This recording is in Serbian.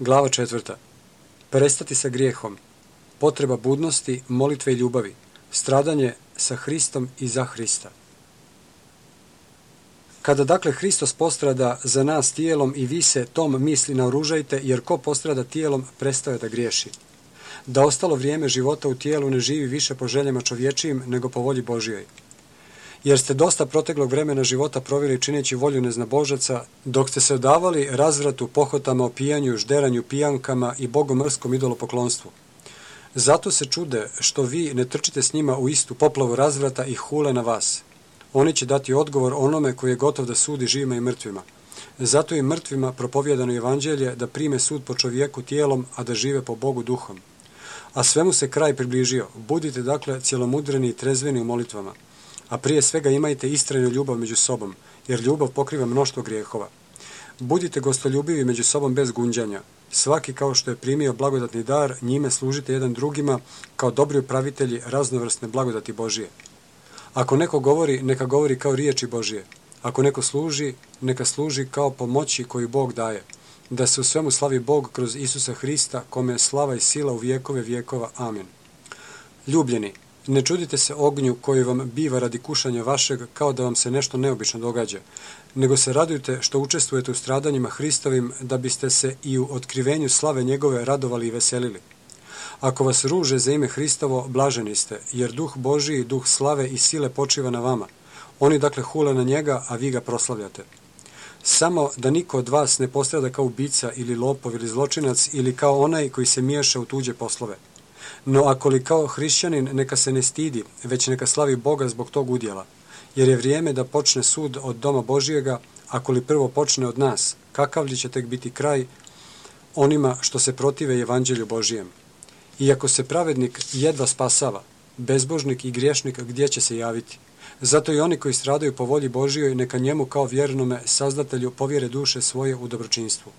Glava 4. Prestati sa grijehom. Potreba budnosti, molitve i ljubavi. Stradanje sa Hristom i za Hrista. Kada dakle Hristos postrada za nas tijelom i vi se tom misli naoružajte, jer ko postrada tijelom prestaje da griješi. Da ostalo vrijeme života u tijelu ne živi više po željama čovječijim nego po volji Božijoj. Jer ste dosta proteklog vremena života proveli čineći volju neznabožaca, dok ste se odavali razvratu, pohotama, opijanju, žderanju, pijankama i bogomrskom idolopoklonstvu. Zato se čude što vi ne trčite s njima u istu poplavu razvrata i hule na vas. Oni će dati odgovor onome koji je gotov da sudi živima i mrtvima. Zato i mrtvima propovijedano evanđelje da prime sud po čovjeku tijelom, a da žive po Bogu duhom. A svemu se kraj približio. Budite dakle cjelomudreni i trezveni u molitvama. A prije svega imajte istrajnu ljubav među sobom, jer ljubav pokriva mnoštvo grijehova. Budite gostoljubivi među sobom bez gunđanja. Svaki kao što je primio blagodatni dar, njime služite jedan drugima kao dobri upravitelji raznovrsne blagodati Božije. Ako neko govori, neka govori kao riječi Božije. Ako neko služi, neka služi kao pomoći koju Bog daje. Da se u svemu slavi Bog kroz Isusa Hrista, kome je slava i sila u vjekove vjekova. Amen. Ljubljeni, ne čudite se ognju koji vam biva radi kušanja vašeg kao da vam se nešto neobično događa, nego se radujte što učestvujete u stradanjima Hristovim, da biste se i u otkrivenju slave njegove radovali i veselili. Ako vas ruže za ime Hristovo, blaženi ste, jer duh Božiji, duh slave i sile počiva na vama. Oni dakle hule na njega, a vi ga proslavljate. Samo da niko od vas ne postrada kao ubica ili lopov ili zločinac ili kao onaj koji se miješa u tuđe poslove. No ako li kao hrišćanin, neka se ne stidi, već neka slavi Boga zbog tog udjela, jer je vrijeme da počne sud od doma Božijega, ako li prvo počne od nas, kakav li će tek biti kraj onima što se protive evanđelju Božijem. Iako se pravednik jedva spasava, bezbožnik i griješnik gdje će se javiti? Zato i oni koji stradaju po volji Božijoj, neka njemu kao vjernome sazdatelju povjere duše svoje u dobročinstvu.